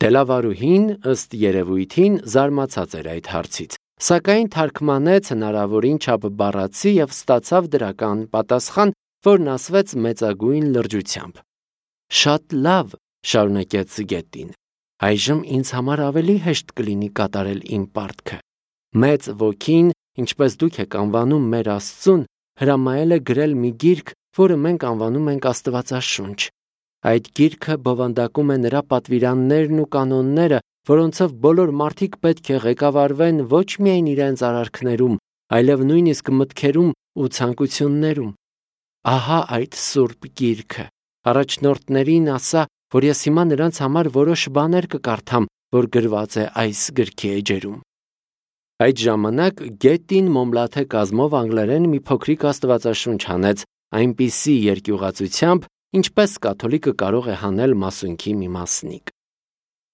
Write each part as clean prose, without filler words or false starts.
Դելավարուհին ըստ երևույթին զարմացած էր այդ հարցից, սակայն թարգմանեց հնարավորին չափ բառացի և ստացավ դրական պատասխան, որն ասվեց մեծագույն լրջությամբ։ «Շատ լավ», շարունակեց Գետին, «այժմ ինձ համար ավելի հեշտ կլինի կատարել իմ պարտքը։ Մեծ ոգին, ինչպես դուք եք անվանում մեր Աստծուն, հրամայել է գրել մի գիրք, որը մենք անվանում ենք Աստվածաշունչ։ Այդ գիրքը բովանդակում է նրա պատվիրաններն ու կանոնները, որոնցով բոլոր մարդիկ պետք է ղեկավարվեն ոչ միայն իրենց արարքներում, այլև նույնիսկ մտքերում ու ցանկություններում։ Ահա այդ սուրբ գիրքը։ Առաջնորդներին ասա, որ ես հիմա նրանց համար որոշ բաներ կկարդամ, որ գրված է այս գրքի էջերում»։ Այդ ժամանակ Գետին մոմլաթե կազմով անգլերեն մի փոքրիկ աստվածաշունչ հանեց այնպիսի երկյուղացությամբ, ինչպես կաթոլիկը կարող է հանել մասունքի մի մասնիկ։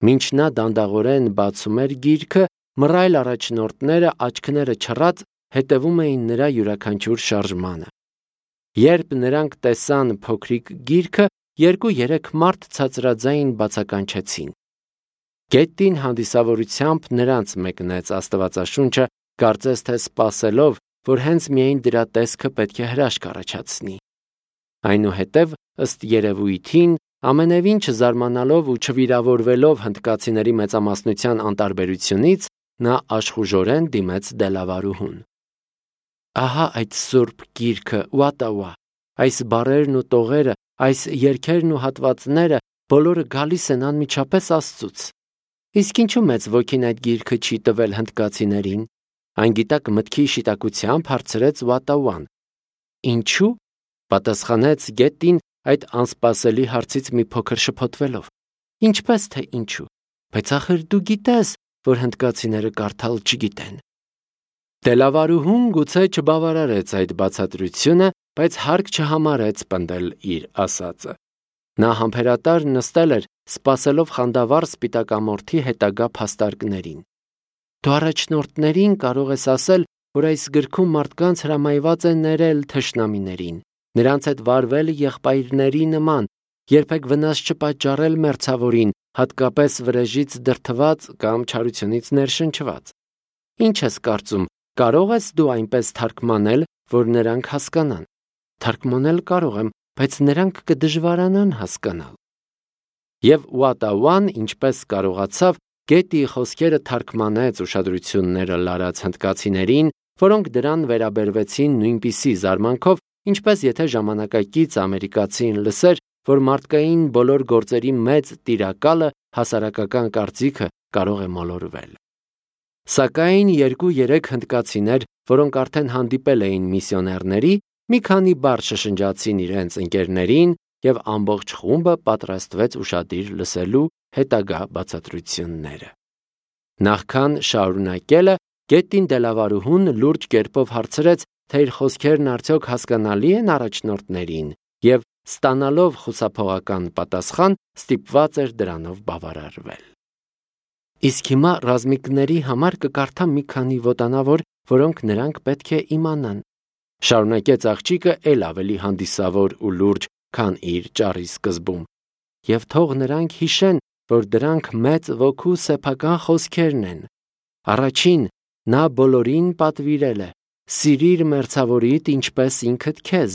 Մինչ նա դանդաղորեն բացում էր գիրքը, մռայլ առաջնորդները աչքները չռած հետևում էին նրա յուրաքանչյուր շարժմանը։ Երբ նրանք տեսան փոքրիկ գիրքը, 2-3 մարդ ցածրաձայն բացականչեցին։ Գետին հանդիսավորությամբ նրանց մեկնեց Աստվածաշունչը, կարծես թե սպասելով, որ հենց միայն դրա տեսքը պետք է հրաշք առաջացնի։ Այնուհետև, ըստ երևույթին, ամենևին չզարմանալով ու չվիրավորվելով հնդկացիների մեծամասնության անտարբերությունից, նա աշխուժորեն դիմեց Դելավարուհուն։ Ահա այդ սուրբ գիրքը, Ուատաուա, այս բառերն ու տողերը, այս երգերն ու հատվածները բոլորը գալիս են անմիջապես Աստծուց։ Իսկ ինչու մեծ ոգին այդ գիրքը չի տվել հնդկացիներին։ Այն գիտակ մտքի շիտակությամբ հարցրեց Ուատաուան։ Ինչու՞, պատասխանեց Գետին այդ անսպասելի հարցից մի փոքր շփոթվելով։ Ինչպես թե ինչու, բայց ախր դու գիտես, որ հնդկացիները կարդալ չգիտեն։ Դելավարուհուն գուցե չբավարարեց այդ բացատրությունը, բայց հարկ չհամարեց պնդել իր ասածը։ Նա համբերատար նստել էր, սպասելով խանդավառ սպիտակամորթի հետագա փաստարկներին։ Դու առաջնորդներին կարող ես ասել, որ այս գրքում մարդկանց հրամայված է ներել թշնամիներին, նրանց հետ վարվել եղբայրների նման, երբեք վնաս չպատճառել մերձավորին, հատկապես վրեժից դրդված կամ չարությունից ներշնչված։ Ինչ ես կարծում, կարող ես դու այնպես թարգմանել, որ նրանք հասկանան։ Թարգմանել կարող եմ, բայց նրանք կդժվարանան հասկանալ։ Եվ Ուատաուան, ինչպես կարողացավ, Գետիի խոսքերը թարգմանեց ուշադրությունները լարած հնդկացիներին, որոնք դրան վերաբերվեցին նույնպիսի զարմանքով, ինչպես եթե ժամանակակից ամերիկացին լսեր, որ մարդկային բոլոր գործերի մեծ տիրակալը հասարակական կարծիքը կարող է մոլորվել։ Սակայն 2-3 հնդկացիներ, որոնք արդեն հանդիպել էին միսիոներների, մի քանի բառ շշնջացին իրենց ընկերներին, և ամբողջ խումբը պատրաստվեց ուշադիր լսելու հետագա բացատրությունները։ Նախքան շարունակելը, Գետին Դելավարուհուն լուրջ կերպով հարցրեց, թե իր խոսքերն արդյոք հասկանալի են առաջնորդներին, և ստանալով խուսափողական պատասխան, ստիպված էր դրանով բավարարվել։ Իսկ հիմա ռազմիկների համար կկարդամ մի քանի ոտանավոր, որոնք նրանք պետք է իմանան։ Շարունակեց աղջիկը էլ ավելի հանդիսավոր ու լուրջ, քան իր ճառի սկզբում։ Եվ թող նրանք հիշեն, որ դրանք մեծ ոգու սեփական խոսքերն են։ Առաջին, նա բոլորին պատվիրել է. «Սիրիր մերձավորիդ ինչպես ինքդ քեզ»։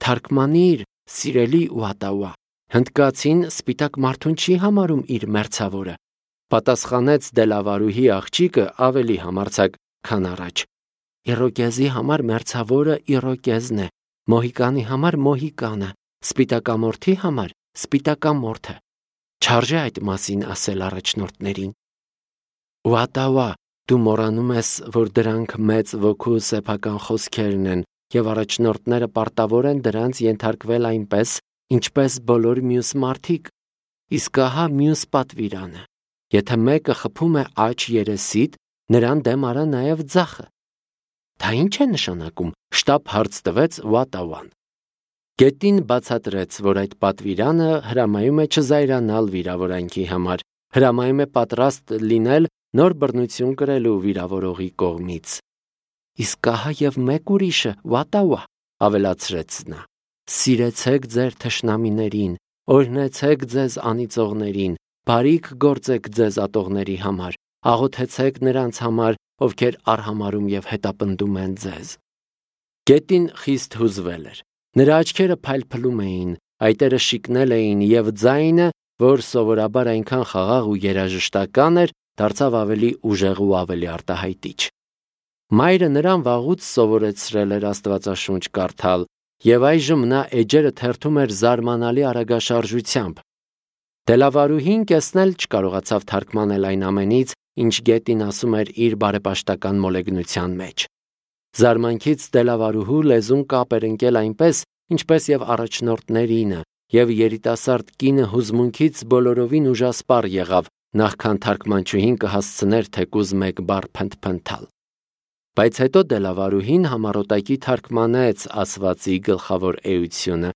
Թարգմանիր, սիրելի Ուատաուա, հնդկացին սպիտակ մարդուն չի համարում իր մերձավորը։ Պատասխանեց Դելավարուհի աղջիկը ավելի համարձակ, քան առաջ։ Իրոկեզի համար մերձավորը Իրոկեզն է, մոհիկանի համար մոհիկանը, սպիտակամորթի համար սպիտակամորթը։ Չարժե այդ մասին ասել առաջնորդներին։ Ուատաուա, դու մոռանում ես, որ դրանք մեծ ոգու սեփական խոսքերն են, և առաջնորդները պարտավոր են դրանց ենթարկվել այնպես, ինչպես բոլոր մյուս մարդիկ։ Իսկ ահա մյուս պատվիրանը. եթե մեկը խփում է աջ երեսիդ, նրան դեմ արա նաև ձախը։ Դա ի՞նչ է նշանակում, շտապ հարց տվեց Ուատաուան։ Գետին բացատրեց, որ այդ պատվիրանը հրամայում է չզայրանալ վիրավորանքի համար, հրամայում է պատրաստ լինել նոր բռնություն կրելու վիրավորողի կողմից։ Իսկ ահա և մեկ ուրիշը, Ուատաուա, ավելացրեց նա. սիրեցեք ձեր թշնամիներին, օրհնեցեք ձեզ անիծողներին, բարիք գործեք ձեզ ատողների համար, աղոթեցեք նրանց համար, ովքեր արհամարում եւ հետապնդում են ձեզ։ Գետին խիստ հուզվել էր, նրա աչքերը փայլփլում էին, այտերը շիկնել էին եւ ձայնը, որ սովորաբար այնքան խաղաղ ու երաժշտական էր, դարձավ ավելի ուժեղ ու ավելի արտահայտիչ։ Մայրը նրան վաղուց սովորեցրել էր Աստվածաշունչ կարդալ, եւ այժմ նա էջերը թերթում էր զարմանալի արագաշարժությամբ։ Դելավարուհին կեսնել չկարողացավ թարգմանել այն ամենից, ինչ Գետին ասում էր իր բարեպաշտական մոլեգնության մեջ։ Զարմանքից Դելավարուհու լեզուն կապ էր ընկել այնպես, ինչպես եւ առաջնորդներինը, եւ երիտասարդ կինը հուզմունքից բոլորովին ուժասպառ եղավ, նախքան թարգմանչուհին կհասցներ թեկուզ մեկ բառ փնթփնթալ։ Բայց հետո Դելավարուհին համառոտակի թարգմանեց ասվածի գլխավոր էությունը։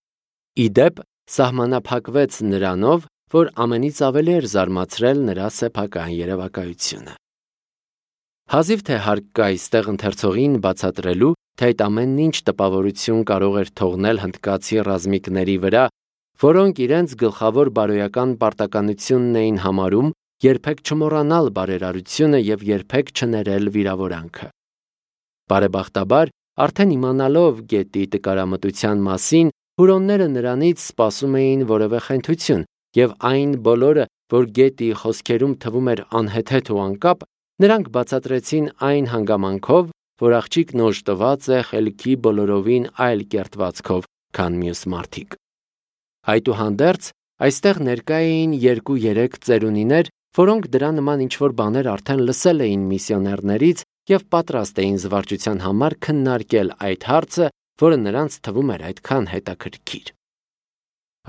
Իդեպ սահմանափակվեց նրանով, որ ամենից ավելի էր զարմացրել նրա սեփական երևակայությունը։ Հազիվ թե հարկ կա այստեղ ընթերցողին բացատրելու, թե այդ ամենն ինչ տպավորություն կարող էր թողնել հնդկացի ռազմիկների վրա, որոնք իրենց գլխավոր բարոյական պարտականությունն էին համարում երբեք չմոռանալ բարերարությունը եւ երբեք չներել վիրավորանքը։ Բարեբախտաբար, արդեն իմանալով Գետի տկարամտության մասին, հուրոնները նրանից սպասում էին որևէ խենթություն, եւ այն բոլորը, որ Գետի խոսքերում թվում էր անհեթեթ ու անկապ, նրանք բացատրեցին այն հանգամանքով, որ աղջիկն օժտված է խելքի բոլորովին այլ կերտվածքով, քան մյուս մարդիկ։ Այդուհանդերձ, այստեղ ներկա էին 2-3 ծերունիներ, որոնք դրա նման ինչ-որ բաներ արդեն լսել էին միսիոներներից եւ պատրաստ էին զվարճության համար քննարկել այդ հարցը, որը նրանց թվում էր այդքան հետաքրքիր։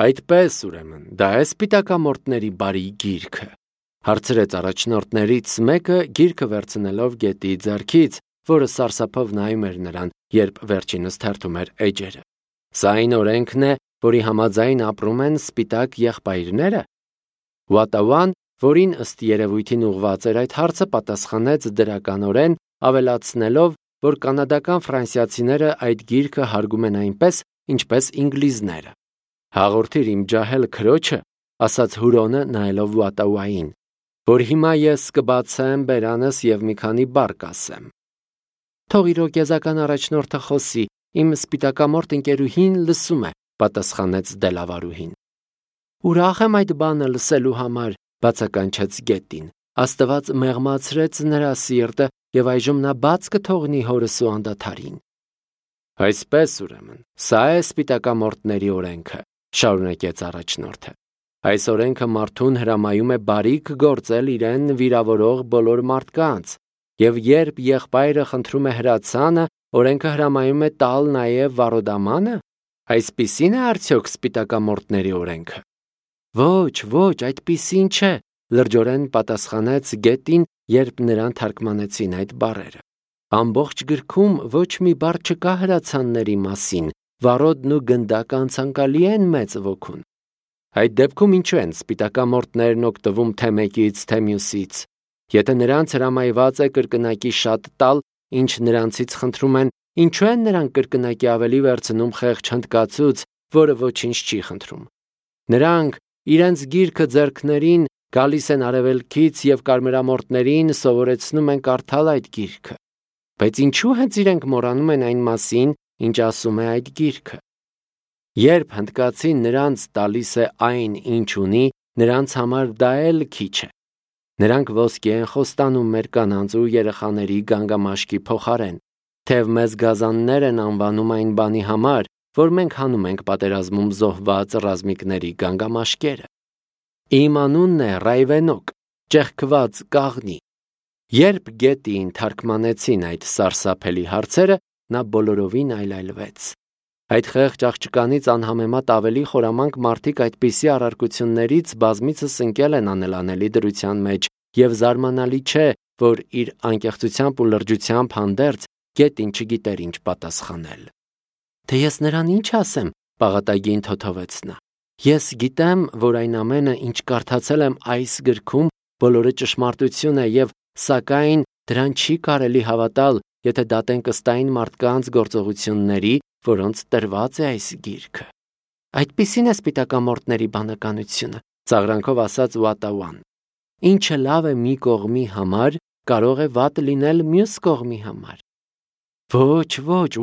Այդպես, ուրեմն, դա է սպիտակամորտների բարի գիրքը, հարցրեց առաջնորդներից մեկը, գիրքը վերցնելով Գետի ձեռքից, որը սարսափով նայում էր նրան, երբ վերջինս թերթում էր էջերը։ Սա այն օրենքն է, որի համաձայն ապրում են սպիտակ եղբայրները։ Ուատաուան, որին ըստ երևույթին ուղված էր այդ հարցը, պատասխանեց դրականորեն, ավելացնելով, որ կանադական ֆրանսիացիները այդ գիրքը հարգում են այնպես, ինչպես ինգլիզները։ Հաղորդիր իմ ջահել քրոջը, ասաց Հուրոնը նայելով Ուատաուային, որ հիմա ես կբացեմ բերանս եւ մի քանի բառ կասեմ։ Թող իրոքեզական առաջնորդը խոսի, իմ սպիտակամորտ ընկերուհին լսում է, պատասխանեց Դելավարուհին։ Ուրախ եմ այդ բանը լսելու համար, բացականչեց Գետին։ Աստված մեղմացրեց նրա սիրտը եւ այժմ նա բաց կթողնի հորս ու անդադարին։ Այսպես ուրեմն, սա է սպիտակամորտների օրենքը, շարունակեց առաջնորդը։ Այս օրենքը մարդուն հրամայում է բարիք գործել իրեն վիրավորող բոլոր մարդկանց, եւ երբ եղբայրը խնդրում է հրացանը, օրենքը հրամայում է տալ նաեւ վառոդամանը։ Այսպիսին է արդյոք սպիտակամորտների օրենքը։ Ոչ, այդպիսին չէ, լրջորեն պատասխանեց Գետին, երբ նրան թարգմանեցին այդ բառերը։ Ամբողջ գրքում ոչ մի բառ չկա հրացանների մասին, վառոդն ու գնդակը անցանկալի են մեծ ոգուն։ Այդ դեպքում ինչու են սպիտակամորտներն օգտվում թե մեկից, թե մյուսից։ Եթե նրանց հրամայված է կրկնակի շատ տալ, ինչ նրանցից խնդրում են, ինչու են նրանք կրկնակի ավելի վերցնում խեղճ հնդկացուց, որը ոչինչ չի խնդրում։ Նրանք իրենց գիրքը ձեռքներին գալիս են արևելքից եւ կարմրամորտներին սովորեցնում են կարդալ այդ գիրքը։ Բայց ինչու հենց իրենք մոռանում են այն մասին, ինչ ասում է այդ գիրքը։ Երբ հնդկացին նրանց տալիս է այն, ինչ ունի, նրանց համար դա էլ քիչ է։ Նրանք ոսկի են խոստանում մեր կանանց ու երեխաների գանգամաշկի փոխարեն, թեև մեզ գազաններ են անվանում այն բանի համար, որ մենք հանում ենք պատերազմում զոհված ռազմիկների գանգամաշկերը։ Իմ անունն է Ռայվենոկ, ճեղքված կաղնի։ Երբ Գետին թարգմանեցին այդ սարսափելի հարցերը, նա բոլորովին այլայլվեց։ Այդ խեղճ աղջկանից անհամեմատ ավելի խորամանկ մարդիկ այդպիսի առարկություններից բազմիցս ընկել են անելանելի դրության մեջ, եւ զարմանալի չէ, որ իր անկեղծությամբ ու լրջությամբ հանդերձ Գետին չգիտեր ինչ պատասխանել։ Թե ես նրան ինչ ասեմ, պաղատագին թոթովեց նա։ Ես գիտեմ, որ այն ամենը, ինչ կարդացել եմ այս գրքում, բոլորը ճշմարտություն է եւ սակայն դրան չի կարելի հավատալ, եթե դատենք ըստ այն մարդկանց գործողությունների, որոնց տրված է այս գիրքը։ Այդպիսին է սպիտակամորտների բանականությունը, ծաղրանքով ասաց Վատավան. Ինչը լավ է մի կողմի համար, կարող է վատ լինել մյուս կողմի համար։ Ոչ,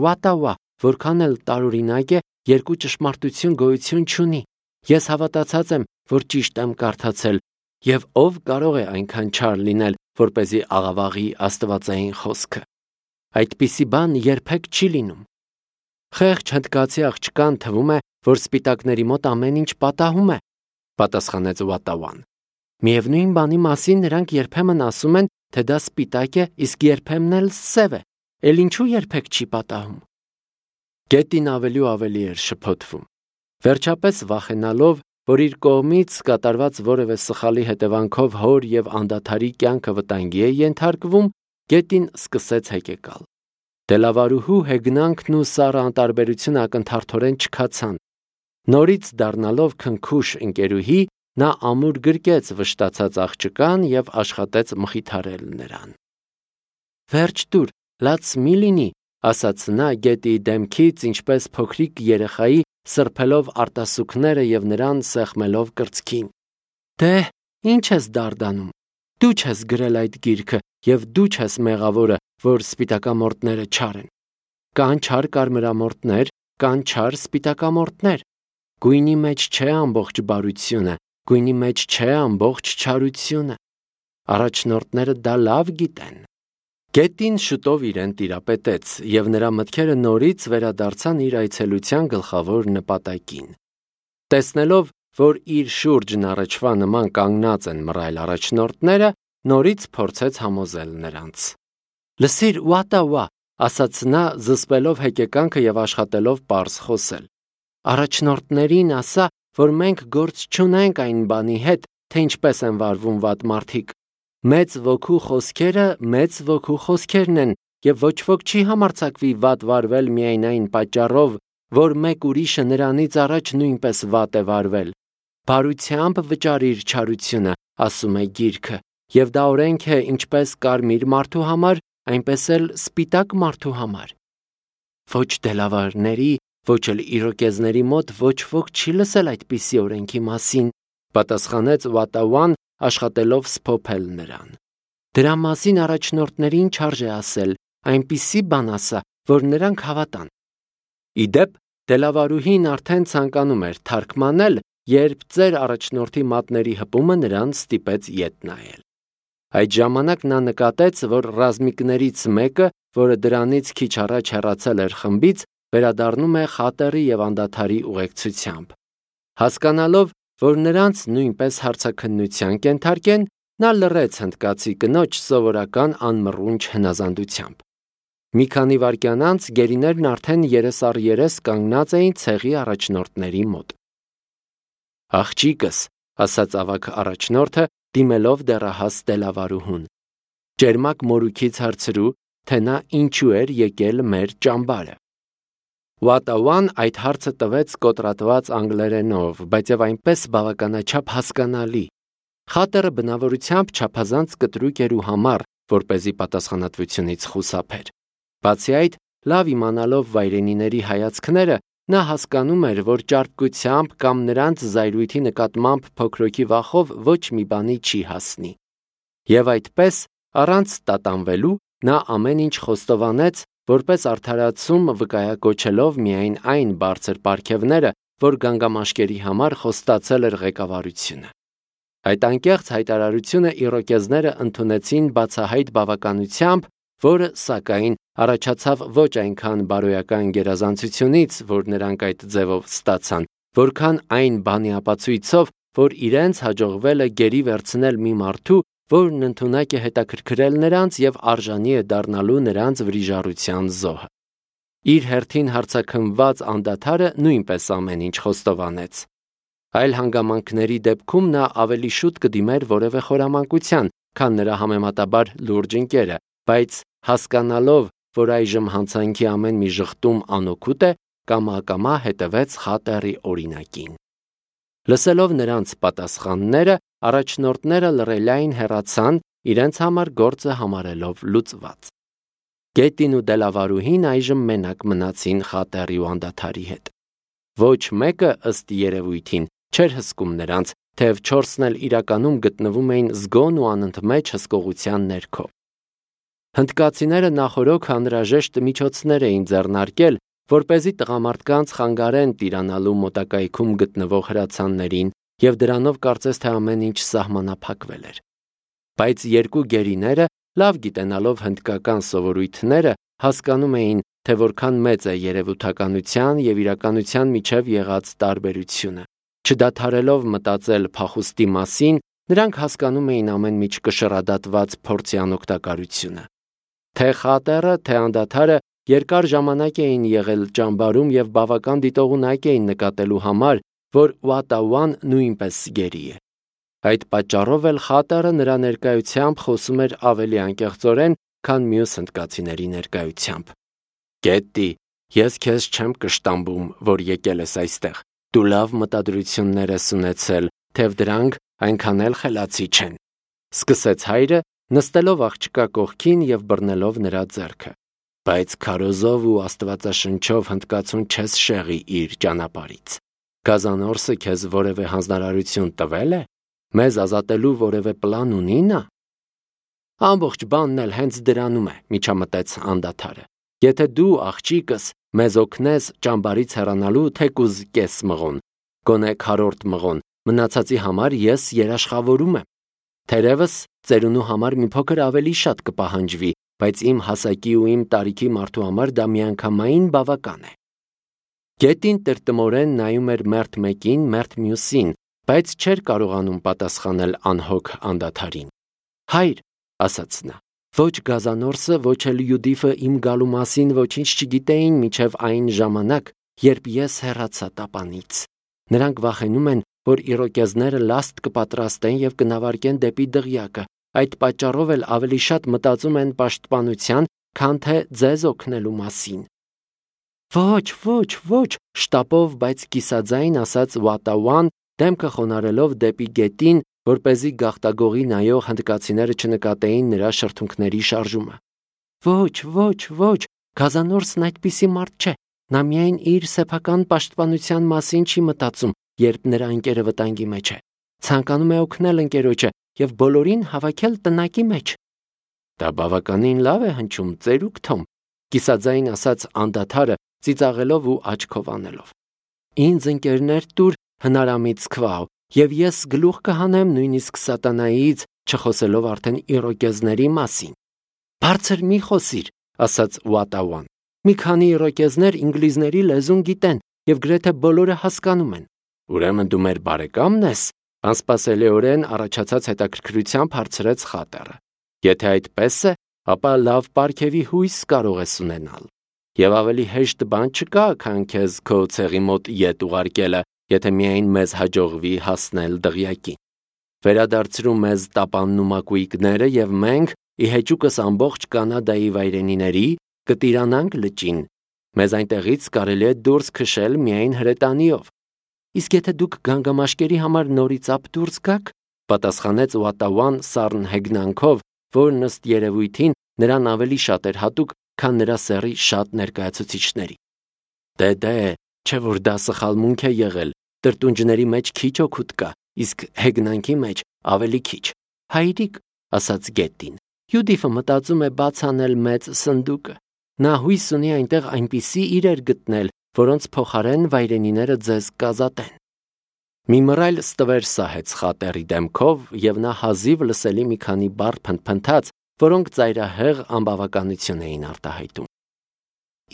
Վատավա, որքան էլ տարօրինակ է, երկու ճշմարտություն գոյություն չունի։ Ես հավատացած եմ, որ ճիշտ եմ կարդացել, եւ ով կարող է այնքան չար լինել, որպեսզի աղավաղի աստվածային խոսքը։ Այդպիսի բան երբեք չի լինում։ Խեղճ հնդկացի աղջկան թվում է, որ սպիտակների մոտ ամեն ինչ պատահում է, պատասխանեց Վատավան։ Միևնույն բանի մասին նրանք երբեմն ասում են, թե դա սպիտակ է, իսկ երբեմն էլ սև է, էլ ինչու երբեք չի պատահում։ Գետին ավելի ու ավելի էր շփոթվում։ Վերջապես վախենալով, որ իր կողմից կատարված որևէ սխալի հետևանքով հոր եւ անդադարի կյանքը վտանգի է ենթարկվում, գետին սկսեց հեկեկալ։ Դելավարուհու հեգնանքն ու սառը անտարբերությունը ակնթարթորեն չքացան։ Նորից դառնալով քնքուշ ընկերուհի, նա ամուր գրկեց վշտացած աղջկան եւ աշխատեց մխիթարել նրան։ Վերջ դուր, լաց մի լինի, ասաց նա գետի դեմքից, ինչպես փոքրիկ երեխայի, սրբելով արտասուքները եւ նրան սեղմելով կրծքին։ Դե, ինչ ես դարդանում։ Դու չես գրել այդ գիրքը եւ դու չես մեղավորը, որ սպիտակամորտները չար են։ Կան չար կարմրամորտներ, կան չար սպիտակամորտներ։ Գույնի մեջ չէ ամբողջ բարությունը, գույնի մեջ չէ ամբողջ չարությունը։ Առաջնորդները դա լավ գիտեն։ Գետին շուտով իրեն տիրապետեց, եւ նրա մտքերը նորից վերադարձան իր այցելության գլխավոր նպատակին։ Տեսնելով, որ իր շուրջն առաջվա նման կանգնած են մռայլ առաջնորդները, նորից փորձեց համոզել նրանց։ Լսիր, Վատավա, ասաց նա, զսպելով հեկեկանքը եւ աշխատելով պարզ խոսել։ Առաջնորդներին ասա, որ մենք գործ չունենք այն բանի հետ, թե ինչպես են վարվում վատ մարդիկ։ Մեծ ոգու խոսքերն են, եւ ոչ ոք չի համարձակվի վատ վարվել միայն այն պատճառով, որ մեկ ուրիշը նրանից առաջ նույնպես վատ է վարվել։ Բարությամբ վճարիր չարությունը, ասում է գիրքը, եւ դա օրենք է ինչպես կարմիր մարդու համար, այնպես էլ սպիտակ մարդու համար։ Ոչ դելավարների, ոչ էլ իրոկեզների մոտ ոչ ոք չի լսել այդպիսի օրենքի մասին, պատասխանեց Վատավան, աշխատելով սփոփել նրան։ Դրա մասին առաջնորդներին չարժե ասել, այնպիսի բան ասա, որ նրանք հավատան։ Իդեպ, դելավարուհին արդեն ցանկանում էր թարգմանել, երբ ծեր առաջնորդի մատների հպումը նրան ստիպեց ետ նայել։ Այդ ժամանակ նա նկատեց, որ ռազմիկներից մեկը, որը դրանից քիչ առաջ հեռացել էր խմբից, վերադառնում է խատերի եւ անդադարի ուղեկցությամբ։ Հասկանալով, որ նրանց նույնպես հարցաքննության կենթարկեն, նա լռեց հնդկացի կնոջ սովորական անմռունչ հնազանդությամբ։ Մի քանի վայրկյան անց գերիներն արդեն երես առ երես կանգնած էին ցեղի առաջնորդների մոտ։ Աղջիկս, ասաց ավագ առաջնորդը, դիմելով դեռահաս դելավարուհուն։ Ջերմակ մորուքից հարցրու, թե նա ինչու էր եկել մեր ճամբարը։ Վատավան այդ հարցը տվեց կոտրատված անգլերենով, բայց եւ այնպես բավականաչափ հասկանալի։ Խատերը բնավորությամբ չափազանց կտրուկ էր ու համառ, որպեսզի պատասխանատվությունից խուսափեր։ Բացի այդ, լավ իմանալով վայրենիների հայացքները, նա հասկանում էր, որ ճարպկությամբ կամ նրանց զայրույթի նկատմամբ փոքրոքի վախով ոչ մի բանի չի հասնի։ Եվ այդպես, առանց տատանվելու, նա ամեն ինչ խոստովանեց, որպես արդարացում վկայակոչելով միայն այն բարձր պարգևները, որ գանգամաշկերի համար խոստացել էր ղեկավարությունը։ Այդ անկեղծ հայտարարությունը իրոկեզները ընդունեցին բացահայտ բավականությամբ, որը, սակայն, առաջացավ ոչ այնքան բարոյական գերազանցությունից, որ նրանք այդ ձևով ստացան, որքան այն բանի ապացույցով, որ իրենց հաջողվել է գերի վերցնել մի մարդու, որն ընդունակ է հետաքրքրել նրանց եւ արժանի է դառնալու նրանց վրիժառության զոհը։ Իր հերթին հարցաքննված անդադարը նույնպես ամեն ինչ խոստովանեց։ Այլ հանգամանքների դեպքում նա ավելի շուտ կդիմեր որևէ խորամանկության, քան նրա համեմատաբար լուրջ ընկերը, բայց հասկանալով, որ այժմ հանցանքի ամեն մի ժխտում անօգուտ է, կամա հետևեց խատերի օրինակին։ Լսելով նրանց պատասխանները, առաջնորդները լռելային հեռացան, իրենց համար գործը համարելով լուծված։ Գետին ու դելավարուհին այժմ մենակ մնացին խատերի ու անդադարի հետ։ Ոչ մեկը ըստ երևույթին չէր հսկում նրանց, թեև 4-ն էլ իրականում գտնվում էին զգոն ու անընդմեջ հսկողության ներքո։ Հնդկացիները նախօրոք անհրաժեշտ միջոցներ էին ձեռնարկել, որպեսզի տղամարդկանց խանգարեն տիրանալու մոտակայքում գտնվող հրացաններին, եւ դրանով կարծես թե ամեն ինչ սահմանափակվել էր։ Բայց երկու գերիները, լավ գիտենալով հնդկական սովորույթները, հասկանում էին, թե որքան մեծ է երևութականության եւ իրականության միջև եղած տարբերությունը։ Չդադարելով մտածել փախուստի մասին, նրանք հասկանում էին ամեն ինչ կշռադատված փորձի անօգտակարությունը։ Թե խատերը, թե անդադարը երկար ժամանակ էին եղել ճամբարում եւ բավական դիտողունակ էին նկատելու համար, որ Ուատաուան նույնպես գերի է։ Այդ պատճառով էլ խատերը նրա ներկայությամբ խոսում էր ավելի անկեղծորեն, քան մյուս հնդկացիների ներկայությամբ։ Գետի, ես քեզ չեմ կշտամբում, որ եկել ես այստեղ։ Դու լավ մտադրություններ ես ունեցել, թեև դրանք այնքան էլ խելացի չեն։ Սկսեց հայրը, նստելով աղջկա կողքին եւ բռնելով նրա ձեռքը։ Բայց քարոզով ու աստվածաշնչով հնդկացուն չես շեղի իր ճանապարից։ Գազանորսը քեզ որևէ հանձնարարություն տվել է։ Մեզ ազատելու որևէ պլան ունի նա։ Ամբողջ բանն էլ հենց դրանում է, միջամտեց անդադարը։ Եթե դու աղջիկս մեզ օգնես ճամբարից հեռանալու թեկուզ կես մղոն, գոնե քառորդ մղոն, մնացածի համար ես երաշխավորում եմ։ Թերևս ծերունու համար մի փոքր ավելի շատ կպահանջվի, բայց իմ հասակի ու իմ տարիքի մարդու համար դա միանգամայն բավական է։ Գետին տրտմորեն նայում էր մերթ մեկին, մերթ մյուսին, բայց չէր կարողանում պատասխանել անհոգ անդադարին։ Հայր, ասաց նա, ոչ Գազանորսը, ոչ էլ Յուդիֆը իմ գալու մասին ոչինչ չգիտեին մինչև այն ժամանակ, երբ ես հեռացա տապանից։ Նրանք վախենում են, որ իրոկեզները լաստ կպատրաստեն եւ կնավարկեն դեպի դղյակը, այդ պատճառով էլ ավելի շատ մտածում են պաշտպանության, քան թե ձեզ օգնելու մասին։ Ոչ, շտապով, բայց կիսաձայն ասաց Ուատաուան, դեմքը խոնարհելով դեպի գետին, որպեսզի գաղտագողի նայող հնդկացիները չնկատեին նրա շրթունքների շարժումը։ Ոչ, Գազանորսն այդպիսի մարդ չէ։ Նա միայն իր սեփական պաշտպանության մասին չի մտածում, երբ նրա ընկերը վտանգի մեջ է։ Ցանկանում է օգնել ընկերոջը եւ բոլորին հավաքել տնակի մեջ։ Դա բավականին լավ է հնչում, ծերուկ Թոմ, կիսաձայն ասաց անդադարը, ծիծաղելով ու աչքով անելով։ Ինձ ընկերներ տուր հնարամիտ քվահ, եւ ես գլուխ կհանեմ նույնիսկ սատանայից, չխոսելով արդեն իրոկեզների մասին։ Բարձր մի խոսիր, ասաց Ուատաուան։ Մի քանի իրոկեզներ ինգլիզների լեզուն գիտեն եւ գրեթե բոլորը հասկանում են։ Ուրեմն դու մեր բարեկամն ես, անսպասելիորեն առաջացած հետաքրքրությամբ հարցրեց խատերը։ Եթե այդպես է, ապա լավ պարգևի հույս կարող ես ունենալ։ Եվ ավելի հեշտ բան չկա, քան քեզ քո ցեղի մոտ ետ ուղարկելը, եթե միայն մեզ հաջողվի հասնել դղյակին։ Վերադարձրու մեզ տապանն ու մակույկները եւ մենք, ի հեճուկս ամբողջ Կանադայի վայրենիների, կտիրանանք լճին։ Մեզ այնտեղից կարելի է դուրս քշել միայն հրետանիով։ Իսկ եթե դուք գանգամաշկերի համար նորից ապ դուրս գաք, պատասխանեց Ուատաուան սառն հեգնանքով, որն ըստ երևույթին նրան ավելի շատ էր հատուկ, քան նրա սեռի շատ ներկայացուցիչների։ Դե, չէ որ դա սխալմունք է եղել, տրտունջների մեջ քիչ օգուտ կա, իսկ հեգնանքի մեջ ավելի քիչ։ Հայրիկ, ասաց Գետին, Յուդիֆը մտածում է բաց անել մեծ սնդուկը։ Նա հույս ունի այնտեղ այնպիսի իրեր գտնել, որոնց փոխարեն վայրենիները ձեզ կազատեն։ Մի մռայլ ստվեր սահեց խատերի դեմքով, եւ նա հազիվ լսելի մի քանի բառ փնթփնթաց, որոնք ծայրահեղ անբավականություն էին արտահայտում։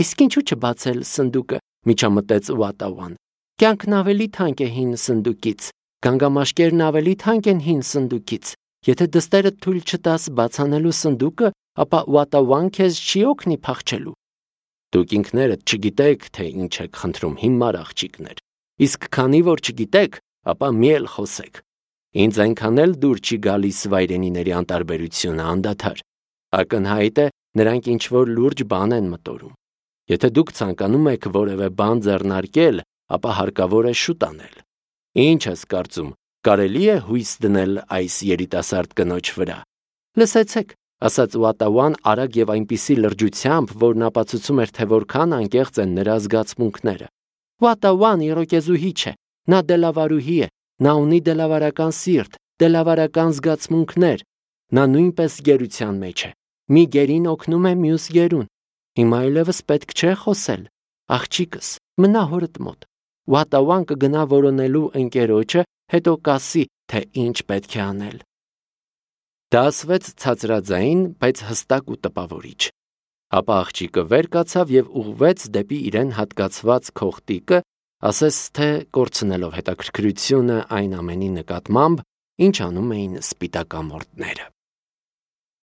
Իսկ ինչու չբացել սնդուկը, միջամտեց Ուատաուան։ Կյանքն ավելի թանկ է հին սնդուկից, գանգամաշկերն ավելի թանկ են հին սնդուկից։ Եթե դստերը թույլ չտաս բացանելու սնդուկը, ապա Ուատաուան քեզ չի օգնի փախչելու։ Դուք ինքներդ չգիտեք, թե ինչ եք խնդրում, հիմար աղջիկներ։ Իսկ քանի որ չգիտեք, ապա մի էլ խոսեք։ Ինձ այնքան էլ դուր չի գալիս վայրենիների անտարբերությունը անդադար։ Ակնհայտ է, նրանք ինչ-որ լուրջ բան են մտորում։ Եթե դուք ցանկանում եք որևէ բան ձեռնարկել, ապա հարկավոր է շուտ անել։ Ինչ ես կարծում, կարելի է հույս դնել այս երիտասարդ կնոջ վրա։ Լսեցեք, ասաց Ուատաուան արագ եւ այնպիսի լրջությամբ, որն ապացուցում էր, թե որքան անկեղծ են նրա զգացմունքները։ Ուատաուան իրոկեզուհի չէ, նա դելավարուհի է, Նա ունի դելավարական սիրտ, դելավարական զգացմունքներ։ Նա նույնպես գերության մեջ է։ Մի գերին օգնում է մյուս գերուն։ Հիմա այլևս պետք չէ խոսել։ Աղջիկս, մնա հորդ մոտ։ Ուատավան կգնա որոնելու ընկերոջը, հետո կասի, թե ինչ պետք է անել։ Դա ասվեց ցածրաձայն, բայց հստակ ու տպավորիչ։ Ապա աղջիկը վեր կացավ եւ ուղղվեց դեպի իրեն հատկացված քողտիկը, ասես թե կորցնելով հետաքրքրությունը այն ամենի նկատմամբ, ինչ անում էին սպիտակամորտները։